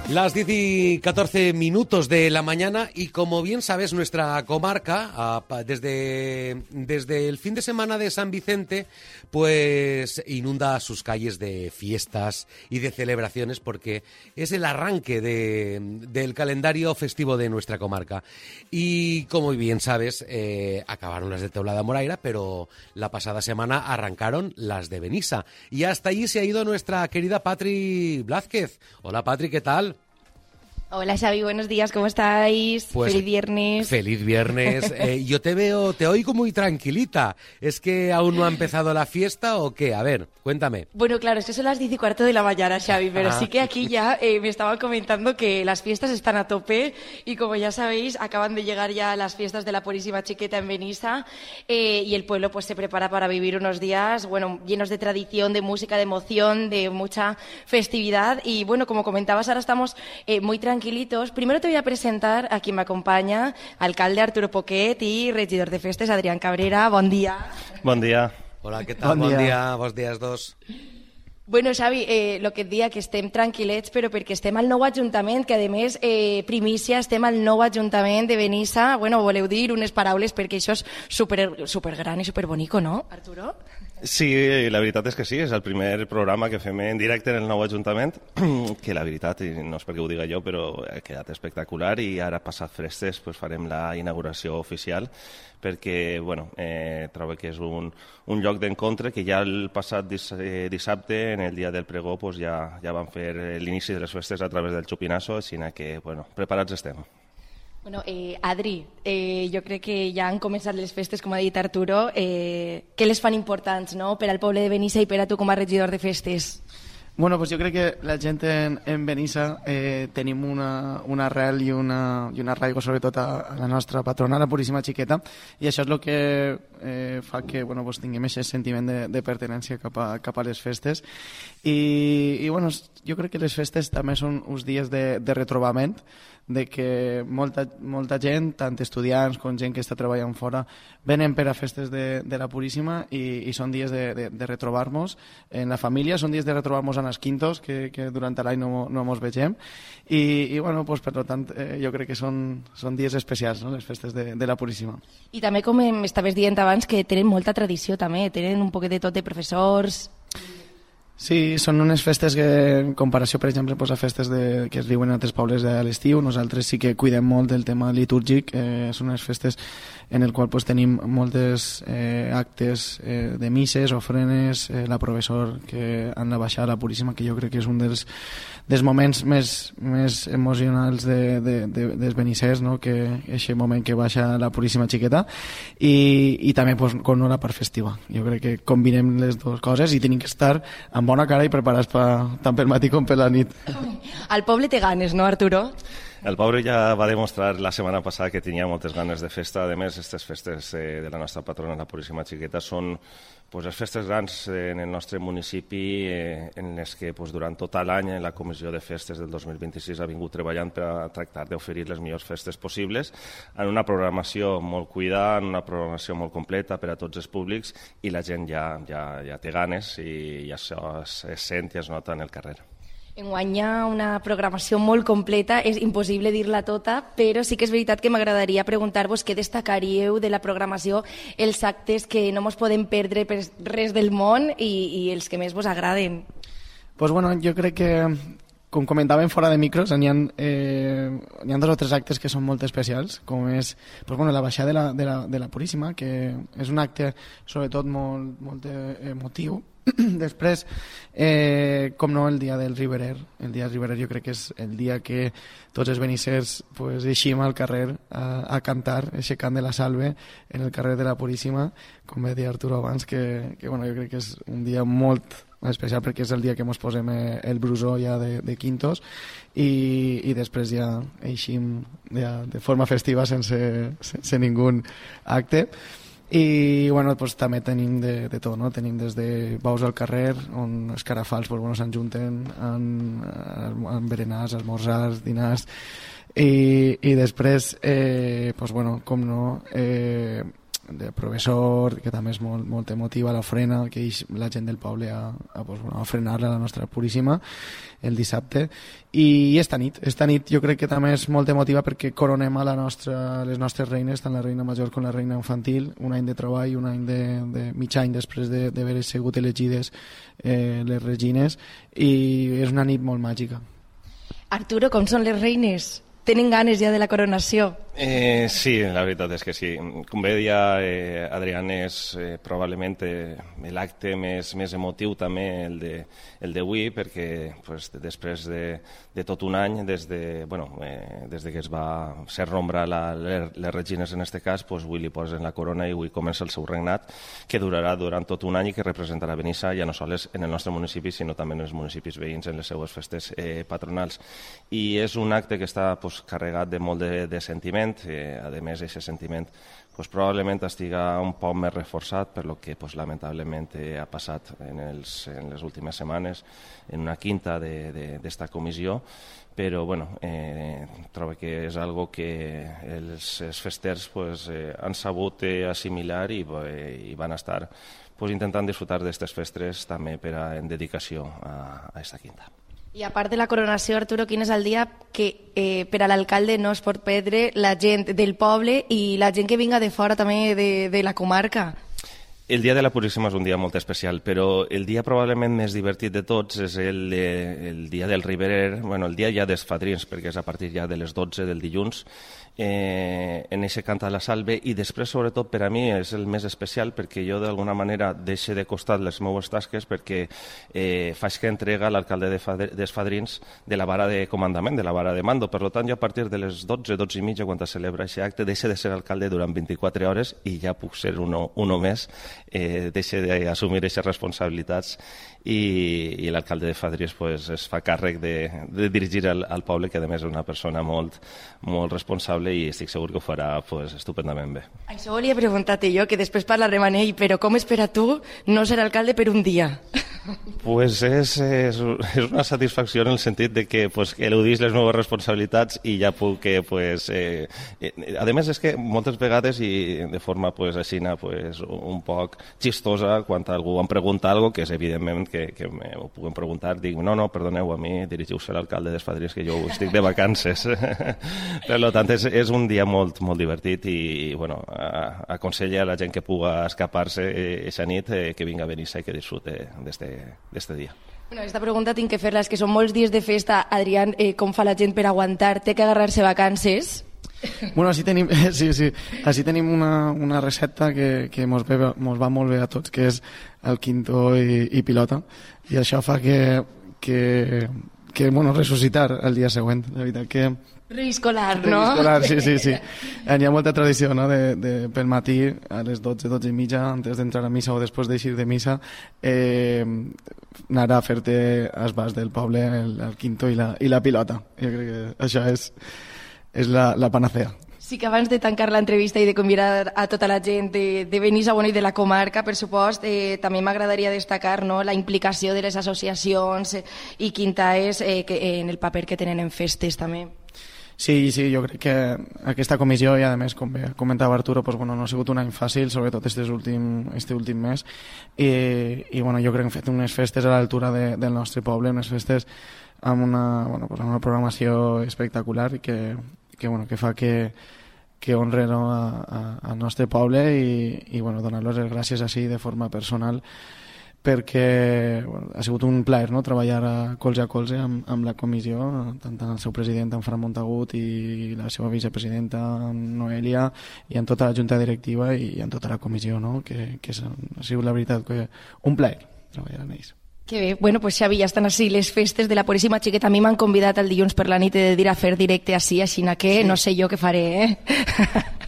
Las 10 y 14 minutos de la mañana y como bien sabes nuestra comarca desde el fin de semana de San Vicente pues inunda sus calles de fiestas y de celebraciones porque es el arranque del calendario festivo de nuestra comarca y como bien sabes acabaron las de Teulada Moraira pero la pasada semana arrancaron las de Benissa y hasta allí se ha ido nuestra querida Patri Blázquez. Hola Patri, ¿qué tal? Hola Xavi, buenos días, ¿cómo estáis? Pues, feliz viernes. Feliz viernes. Yo te oigo muy tranquilita. ¿Es que aún no ha empezado la fiesta o qué? A ver, cuéntame. Bueno, claro, es que son las 10:15 de la mañana, Xavi, pero sí que aquí ya me estaban comentando que las fiestas están a tope y como ya sabéis, acaban de llegar ya las fiestas de la Purísima Chiqueta en Benissa y el pueblo pues se prepara para vivir unos días, bueno, llenos de tradición, de música, de emoción, de mucha festividad y bueno, como comentabas, ahora estamos muy tranquilitos. Primero te voy a presentar a quien me acompaña, alcalde Arturo Poquet y regidor de festes Adrián Cabrera. Bon dia. Bon dia. Hola, què tal? Bon dia. Bons dies, dos. Bueno, Xavi, el que et dia que estem tranquil·lets, però perquè estem al nou Ajuntament, que a més, primícia, estem al nou Ajuntament de Benissa. Bueno, voleu dir unes paraules perquè això és super gran i super bonico, no, Arturo? Sí, la veritat és que sí, és el primer programa que fem en directe en el nou Ajuntament, que la veritat, i no és perquè ho diga jo, però ha quedat espectacular i ara passat festes pues, farem la inauguració oficial perquè bueno, trobo que és un lloc d'encontre que ja el passat dissabte, en el dia del pregó, pues, ja van fer l'inici de les festes a través del Chupinazo, així que bueno, preparats estem. Bueno, Adri, jo crec que ja han començat les festes, com ha dit Arturo. Què les fan importants, no?, per al poble de Benissa i per a tu com a regidor de festes? Bueno, pues jo crec que la gent en Benissa tenim una arrel i un arraigo sobretot a la nostra patrona, la Puríssima Chiqueta, i això és el que fa que bueno, pues tinguem aquest sentiment de pertinença cap a les festes. I bueno, jo crec que les festes també són uns dies de retrobament, de que molta gent, tant estudiants com gent que està treballant fora, venen per a festes de la Puríssima i són dies de retrobar-nos en la família, són dies de retrobar-nos en els quintos, que durant l'any no ens vegem, i bueno, pues, per tant, jo crec que són dies especials, no?, les festes de la Puríssima. I també, com m'estaves dient abans, que tenen molta tradició també, tenen un poquet de tot de professors. Sí, són unes festes que, en comparació, per exemple, a festes que es viuen en altres pobles a l'estiu, nosaltres sí que cuidem molt del tema litúrgic, són unes festes en el qual tenim moltes actes de misses, ofrenes, la professor que han de baixar a la Puríssima, que jo crec que és un dels moments més emocionals dels benissers, no?, que és el moment que baixa la Puríssima Chiqueta, i també com no la part festiva. Jo crec que combinem les dues coses i tenim que estar amb bona cara i preparats tant pel matí com per la nit. El poble té ganes, no, Arturo? El poble ja va demostrar la setmana passada que tenia moltes ganes de festa. A més, aquestes festes de la nostra patrona, la Puríssima Chiqueta, són pues, les festes grans en el nostre municipi en les que pues, durant tot l'any la Comissió de Festes del 2026 ha vingut treballant per a tractar d'oferir les millors festes possibles en una programació molt cuidada, en una programació molt completa per a tots els públics i la gent ja té ganes i això es sent i es nota en el carrer. Enguany hi ha una programació molt completa, és impossible dir-la tota, però sí que és veritat que m'agradaria preguntar-vos què destacaríeu de la programació, els actes que no ens podem perdre per res del món i els que més vos agraden. Pues bueno, jo crec que, com comentàvem fora de micros, n'hi ha 2 o 3 actes que són molt especials, com és pues bueno, la baixada de la Puríssima, que és un acte sobretot molt emotiu. Després, com no, el dia del Riberer. El dia del Riberer jo crec que és el dia que tots els benissers pues, eixim al carrer a cantar, aquest cant de la salve en el carrer de la Puríssima, com va dir Arturo abans, que bueno, jo crec que és un dia molt especial perquè és el dia que ens posem el brusó ja de quintos i després ja eixim de forma festiva sense ningú acte. I bueno, pues, també tenim de tot, no? Tenim des de baus al carrer on els carafals pues, bueno, s'enjunten en berenars, esmorzars, dinars i després pues, bueno, com no de professor, que també és molt emotiva, l'ofrena, que la gent del poble a ofrenar-la a la nostra Puríssima el dissabte. I esta nit jo crec que també és molt emotiva perquè coronem a les nostres reines, tant la reina major com la reina infantil, un any de treball, un any de mig any després d'haver sigut elegides les regines, i és una nit molt màgica. Arturo, com són les reines? Tenen ganes ja de la coronació? Sí, la veritat és que sí. Com bé deia Adrián, és probablement l'acte més emotiu també el d'avui, perquè després de tot un any, des que es va ser nombrar les regines en aquest cas, avui li posen la corona i avui comença el seu regnat, que durarà durant tot un any i que representarà Benissa ja no sols en el nostre municipi, sinó també en els municipis veïns en les seues festes patronals. I és un acte que està carregat de molt de sentiment. A més, aquest sentiment probablement estiga un poc més reforçat per lo que lamentablement ha passat en les últimes setmanes en una quinta d'esta comissió, però trobo que és algo que els festers han sabut assimilar i van estar intentant disfrutar d'aquestes festes també en dedicació a aquesta quinta. I a part de la coronació, Arturo, quin és el dia que per a l'alcalde no es pot perdre la gent del poble i la gent que vinga de fora també de la comarca? El dia de la Puríssima és un dia molt especial, però el dia probablement més divertit de tots és el dia del Riberer, el dia ja dels fadrins, perquè és a partir ja de les 12 del dilluns, en eixe cant a la salve, i després, sobretot, per a mi és el més especial perquè jo d'alguna manera deixo de costat les meves tasques perquè faig que entrega l'alcalde dels fadrins de la vara de comandament, de la vara de mando. Per tant, jo a partir de les 12 i mitja, quan se celebra aquest acte, deixo de ser alcalde durant 24 hores i ja puc ser uno més, deixo d'assumir aquestes responsabilitats i l'alcalde de Fadrins es fa càrrec de dirigir al poble, que a més és una persona molt responsable i estic segur que ho farà estupendament bé. Això volia preguntar-te jo, que després parlarem amb ell, però com és per a tu no ser alcalde per un dia? És una satisfacció en el sentit de que eludís les meves responsabilitats i ja puc a més és que moltes vegades i de forma així un poc xistosa, quan algú em pregunta alguna cosa, que és evidentment que m'ho puguin preguntar, dic, no, perdoneu, a mi dirigiu-se a l'alcalde dels Fadrins, que jo estic de vacances. Per tant, és un dia molt divertit i aconsella a la gent que puga escapar-se aquesta nit que vinga a Benissa i que disfrute d'este dia. Aquesta pregunta tinc que fer-la, és que són molts dies de festa. Adrián, com fa la gent per aguantar? Té que agarrar-se vacances? Així tenim una recepta que mos va molt bé a tots, que és el quinto i pilota, i això fa que ressuscitar el dia següent, la veritat que... Reescolar, no? Reescolar, sí. Hi ha molta tradició, no?, pel matí, a les 12 i mitja, antes d'entrar a missa o després d'eixir de missa, anar a fer-te esbàs del poble, el quinto i la pilota. Jo crec que això és la panacea. Sí, que abans de tancar l'entrevista i de convidar a tota la gent de Benissa i de la comarca, per supost, també m'agradaria destacar, no, la implicació de les associacions i quintaes en el paper que tenen en festes també. Sí, jo crec que aquesta comissió, i a més, com comentava Arturo, no ha sigut un any fàcil, sobretot este últim mes, i jo crec que hem fet unes festes a l'altura del nostre poble, unes festes amb una programació espectacular i que fa que honren al nostre poble i donar-los les gràcies així de forma personal, perquè ha sigut un plaer, no?, treballar colze a colze amb la comissió, tant el seu president, en Fran Montagut, i la seva vicepresidenta, Noelia, i en tota la junta directiva i en tota la comissió, no?, que ha sigut la veritat que un plaer treballar amb ells. Que bé. Bueno, pues Xavi, ja estan així les festes de la Puríssima Xiqueta. A mi m'han convidat el dilluns per la nit de dir a fer directe així que no sé jo què faré,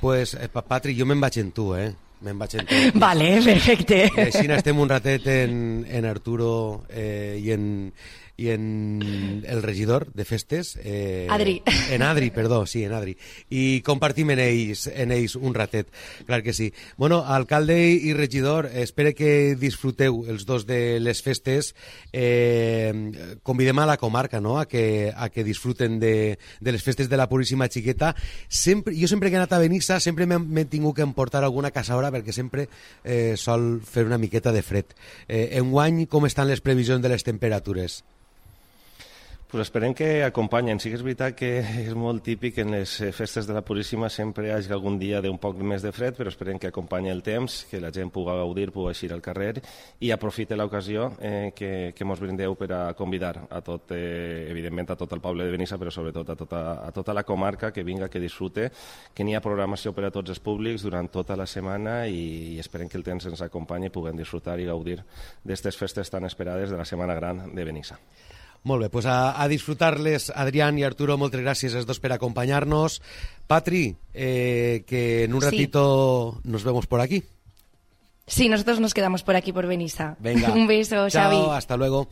Pues, Patri, jo me'n vaig en tu, Vale, perfecte. I així estem un ratet en Arturo i en en el regidor de festes. Adri. En Adri, perdó, sí, en Adri. I compartim en ells un ratet, clar que sí. Bueno, alcalde i regidor, espero que disfruteu els dos de les festes. Convidem a la comarca, no?, a que disfruten de les festes de la Puríssima Xiqueta. Jo sempre que he anat a Benissa sempre m'he tingut que emportar alguna caçadora perquè sempre sol fer una miqueta de fred. Enguany, com estan les previsions de les temperatures? Pues esperem que acompanyen. Sí que és veritat que és molt típic en les festes de la Puríssima sempre hi hagi algun dia d'un poc més de fred, però esperem que acompanyi el temps, que la gent pugui gaudir, pugui eixir al carrer i aprofite l'ocasió que mos brindeu per a convidar a tot, evidentment a tot el poble de Benissa, però sobretot a tota la comarca que vinga, que disfrute, que n'hi ha programació per a tots els públics durant tota la setmana i esperem que el temps ens acompanyi i puguem disfrutar i gaudir d'aquestes festes tan esperades de la Setmana Gran de Benissa. Molt bé, pues a disfrutar-les, Adrián y Arturo, moltes gràcies els dos per acompañarnos. Patri, que en un ratito nos vemos por aquí. Sí, nosotros nos quedamos por aquí, por Benissa. Venga. Un beso, Chao, Xavi. hasta luego.